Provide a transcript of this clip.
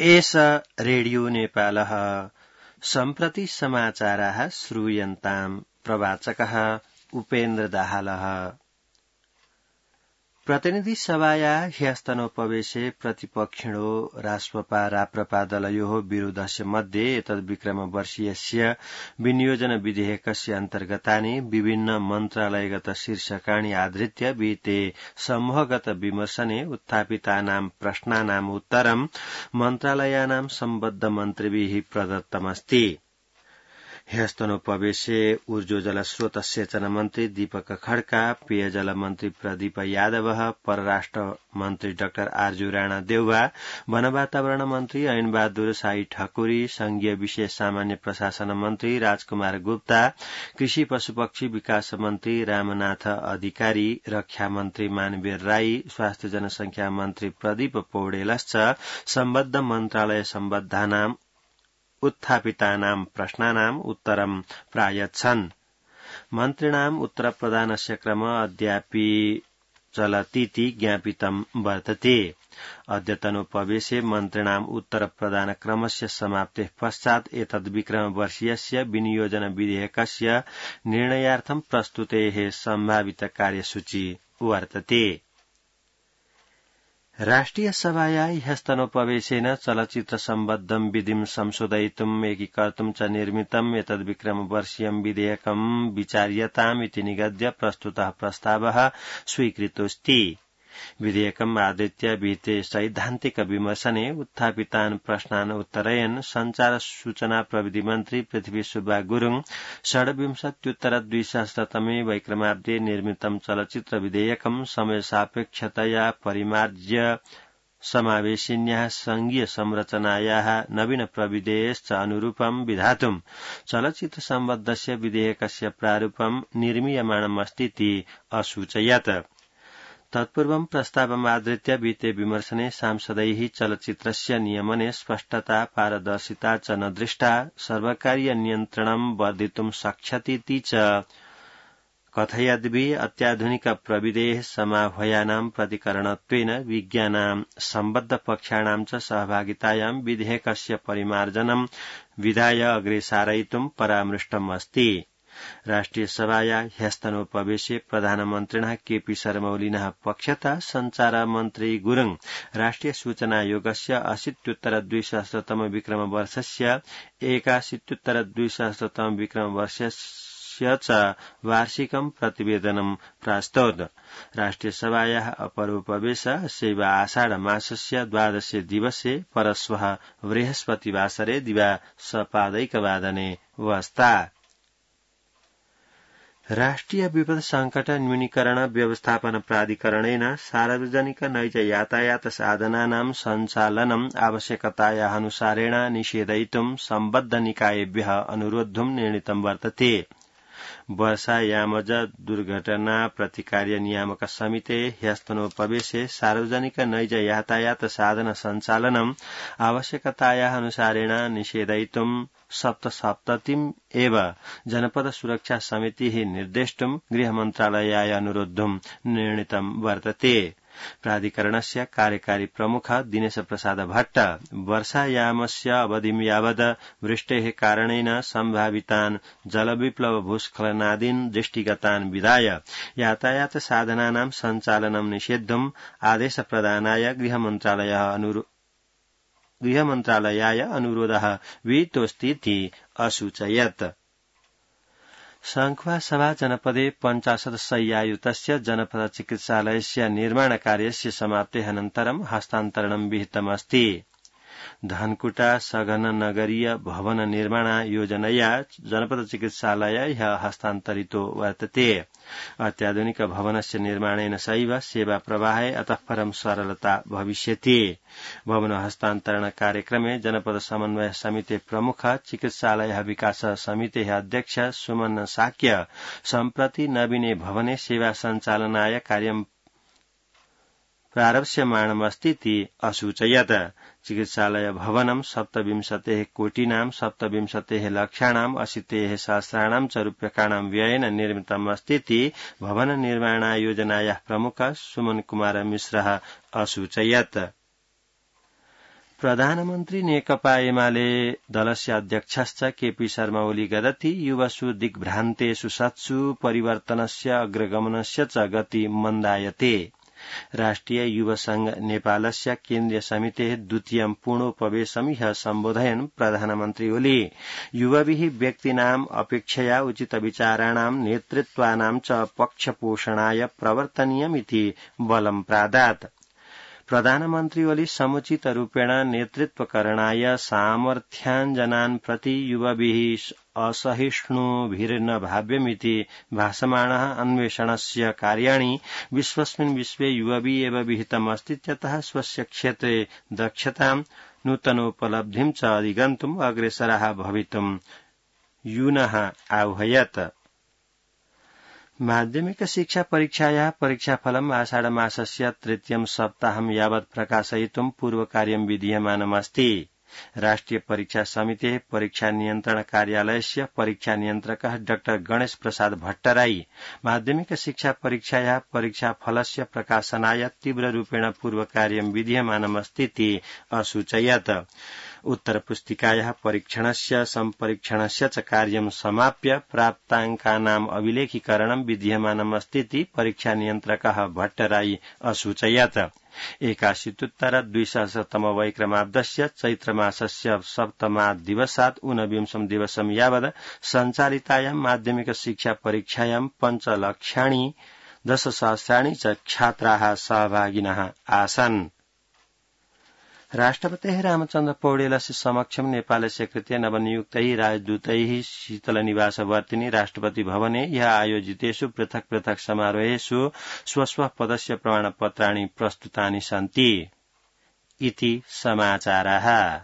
एष रेडियो नेपालः सम्प्रति समाचाराः श्रूयन्ताम् प्रवाचकः उपेन्द्र दाहालः। प्रतिनिधि सभायाः ह्यस्तनोपवेशे प्रतिपक्षिणो राष्ट्रपा राप्रपा दलयोः विरोधस्य मध्ये एतद्विक्रमवर्षीयस्य विनियोजन विधेयकस्य अन्तर्गतानि विभिन्न मन्त्रालयगत शीर्षकाणि आधृत्य विहिते समूहगत विमर्शने उत्थापितानां प्रश्नानाम् उत्तरं मन्त्रालयानां सम्बद्ध मन्त्रिभिः प्रदत्तमस्ति। ह्यस्तनोपवेशे ऊर्जोजल स्रोत सेचन मन्त्री दीपक खड्का, पेयजल मन्त्री प्रदीप यादव, परराष्ट्र मन्त्री डाक्टर आरजू राणा देउवा, वन वातावरण मन्त्री ऐन बहादुर शाही ठकुरी, संघीय विशेष सामान्य प्रशासन मन्त्री राजकुमार गुप्ता, कृषि पशुपक्षी विकास मन्त्री रामनाथ अधिकारी, रक्षा मन्त्री मानवीर राई, स्वास्थ्य जनसंख्या मन्त्री प्रदीप पौडेलश्च सम्बद्ध मन्त्रालय सम्बद्धानां उत्थापितानां प्रश्नानाम् उत्तरं प्रायच्छन्। मन्त्रिणाम् उत्तरप्रदानस्य क्रम अद्यापि चलतीति ज्ञापितं वर्तते। अद्यतनोपवेशे मन्त्रिणाम् उत्तरप्रदानक्रमस्य समाप्तेः पश्चात् एतद्विक्रमवर्षीयस्य विनियोजन विधेयकस्य निर्णयार्थं प्रस्तुतेः सम्भावित कार्यसूची वर्तते। राष्ट्रिय सभाया ह्यस्तनोपवेशेन चलचित्र सम्बद्धं विधिं संशोधयितुम् एकीकर्तुं च निर्मितम् एतद्विक्रमवर्षीयं विधेयकं विचार्यताम् इति निगद्य प्रस्तुतः प्रस्तावः स्वीकृतोऽस्ति। विधेयकम् आधृत्य विहिते सैद्धान्तिक विमर्शने उत्थापितान् प्रश्नान् उत्तरयन् संचार सूचना प्रविधि मन्त्री पृथ्वी सुब्बा गुरुङ २६उत्तर-२०००तमे वैक्रमाब्दे निर्मितं चलचित्र विधेयकं समयसापेक्षतया परिमार्ज्य समावेशिन्याः संघीय संरचनायाः नवीन प्रविधेश्च अनुरूपं विधातुं चलचित्र सम्बद्धस्य विधेयकस्य प्रारूपं निर्मीयमाणमस्तीति असूचयत्। तत्पूर्वं प्रस्तावमाधृत्य विहिते विमर्शने सांसदैः चलचित्रस्य नियमने स्पष्टता पारदर्शिता च न दृष्टा, सर्वकारीय नियन्त्रणं वर्धितुं शक्ष्यतीति च कथयद्भिः अत्याधुनिक प्रविधेः समाह्वयानां प्रतिकरणत्वेन विज्ञानां सम्बद्ध पक्षाणां च सहभागितायां विधेयकस्य परिमार्जनं विधाय अग्रे सारयितुं परामृष्टम् अस्ति। राष्ट्रिय सभाया ह्यस्तनोपवेशे प्रधानमन्त्रिणः केपी शर्मा ओलीनः पक्षतः संचार मन्त्री गुरुङ राष्ट्रिय सूचना आयोगस्य 80उत्तर-2000तम विक्रमवर्षस्य 81उत्तर-2000तम विक्रमवर्षस्य च वार्षिकं प्रतिवेदनं प्रास्तौत्। राष्ट्रिय सभायाः अपरोपवेश सेवा आषाढ मासस्य 12 दिवसे परश्वः बृहस्पतिवासरे दिवा सपादैकवादने वस्ता। राष्ट्रिय विपद संकट न्यूनीकरण व्यवस्थापन प्राधिकरणेन सार्वजनिक नैज यातायात साधनानां सञ्चालनम् आवश्यकतायाः अनुसारेण निषेधयितुं सम्बद्ध निकायेभ्यः अनुरोद्धुं निर्णीतं वर्तते। वर्षायामज दुर्घटना प्रतिकार्य नियामक समिते ह्यस्तनोपवेशे सार्वजनिक नैज यातायात साधन सञ्चालनम् आवश्यकतायाः अनुसारेण निषेधयितुं सप्तसप्ततिम् एव जनपद सुरक्षा समितिः निर्देष्टुं गृहमन्त्रालयाय अनुरोद्धुं निर्णीतं वर्तते। प्राधिकरणस्य कार्यकारी प्रमुख दिनेश प्रसाद भट्ट वर्षायामस्य अवधिं यावद् वृष्टेः कारणेन सम्भावितान् जलविप्लव भूस्खलनादीन् दृष्टिगतान् विधाय यातायात साधनानां सञ्चालनं निषेद्धुम् आदेश प्रदानाय गृहमन्त्रालयाय अनुरोधः विहितोऽस्तीति असूचयत्। संख्वासभा जनपदे 50 शय्यायुतस्य जनपद चिकित्सालयस्य निर्माणकार्यस्य समाप्तेः अनन्तरं हस्तान्तरणं विहितमस्ति। धनकुटा सघन नगरीय भवन निर्माण योजनया जनपद चिकित्सालय हस्तान्तरितो वर्तते। अत्याधुनिक भवनस्य निर्माणेन सैव सेवा प्रवाहे अतः परं सरलता भविष्यति। भवन हस्तान्तरण कार्यक्रमे जनपद समन्वय समिति प्रमुख चिकित्सालय विकास समिति अध्यक्ष सुमन साक्य सम्प्रति नवीने भवने सेवा सञ्चालनाय कार्यं प्रारप्स्यमाणमस्तीति असूचयत्। चिकित्सालय भवनं 27 कोटीनां 27 लक्षाणां 80 सहस्राणां च रूप्यकाणां व्ययेन निर्मितम् अस्तीति भवन निर्माण योजनायाः प्रमुख सुमन कुमार मिश्रः असूचयत्। प्रधानमन्त्री नेकपा एमाले दलस्य अध्यक्षश्च केपी शर्मा ओली गदति युवसु दिग्भ्रान्तेषु सत्सु परिवर्तनस्य अग्रगमनस्य च गति मन्दायते। राष्ट्रिय युव संघ नेपालस्य केन्द्रीय समितेः द्वितीयं पूर्णोपवेशं ह्यः सम्बोधयन् प्रधानमन्त्री ओली युवभिः व्यक्तीनाम् अपेक्षया उचितविचाराणां नेतृत्वानां च पक्षपोषणाय प्रवर्तनीयमिति बलं प्रादात्। प्रधानमन्त्री ओली समुचित रूपेण नेतृत्वकरणाय सामर्थ्याञ्जनान् प्रति युवभिः असहिष्णुभिर्न भाव्यमिति भासमाणः अन्वेषणस्य कार्याणि विश्वस्मिन् विश्वे युवभिः एव विहितमस्तीत्यतः स्वस्य क्षेत्रे दक्षतां नूतनोपलब्धिं च अधिगन्तुम् अग्रेसराः भवितुम् यूनः आह्वयत्। माध्यमिक शिक्षा परीक्षायाः परीक्षाफलम् आषाढमासस्य तृतीयं सप्ताहं यावत् प्रकाशयितुं पूर्वकार्यं विधीयमानमस्ति। राष्ट्रिय परीक्षा समितेः परीक्षा नियन्त्रण कार्यालयस्य परीक्षा नियन्त्रकः डॉ गणेश प्रसाद भट्टराई माध्यमिक शिक्षा परीक्षायाः परीक्षाफलस्य प्रकाशनाय तीव्ररूपेण पूर्वकार्यं विधीयमानमस्तीति असूचयत्। उत्तरपुस्तिकायाः परीक्षणस्य सम्परीक्षणस्य च कार्यं समाप्य प्राप्ताङ्कानाम् अभिलेखीकरणं विधीयमानमस्तीति परीक्षा नियन्त्रकः भट्टराई असूचयत्। 81-2000 चैत्रमासस्य सप्तमात् दिवसात् 29 दिवसं यावत् सञ्चालितायां माध्यमिक शिक्षा परीक्षायां 5,10,00,000 च छात्राः सहभागिनः आसन्। राष्ट्रपतेः रामचन्द्र पौडेलस्य समक्षं नेपालस्य कृते नवनियुक्तैः राजदूतैः शीतलनिवासवर्तिनि राष्ट्रपति भवने ह्यः आयोजितेषु पृथक् पृथक् समारोहेषु स्वस्व पदस्य प्रमाणपत्राणि प्रस्तुतानि सन्ति इति समाचारः।